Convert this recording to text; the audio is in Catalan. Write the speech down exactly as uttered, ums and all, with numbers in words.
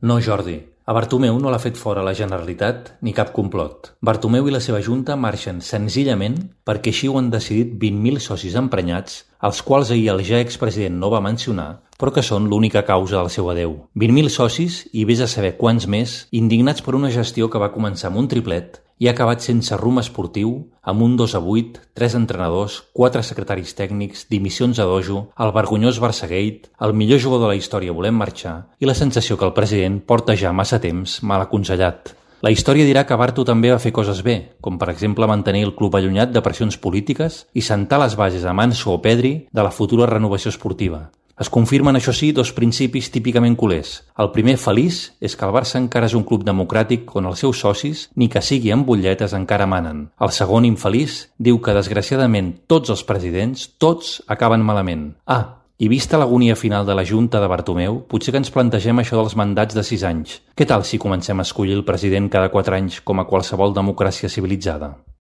No, Jordi. A Bartomeu no l'ha fet fora la Generalitat ni cap complot. Bartomeu i la seva junta marxen senzillament perquè així ho han decidit vint mil socis emprenyats, els quals ahir el ja expresident no va mencionar, però que són l'única causa del seu adeu. vint mil socis i vés a saber quants més, indignats per una gestió que va començar amb un triplet i ha acabat sense rumb esportiu, amb un dos a vuit, tres entrenadors, quatre secretaris tècnics, dimissions a dojo, el vergonyós Barçagate, el millor jugador de la història volem marxar i la sensació que el president porta ja massa temps mal aconsellat. La història dirà que Barto també va fer coses bé, com per exemple mantenir el club allunyat de pressions polítiques i sentar les bases a Manso o Pedri de la futura renovació esportiva. Es confirmen, això sí, dos principis típicament culers. El primer, feliç, és que el Barça encara és un club democràtic on els seus socis, ni que sigui amb butlletes, encara manen. El segon, infeliç, diu que desgraciadament tots els presidents, tots, acaben malament. Ah, i vista l'agonia final de la Junta de Bartomeu, potser que ens plantegem això dels mandats de sis anys. Què tal si comencem a escollir el president cada quatre anys com a qualsevol democràcia civilitzada?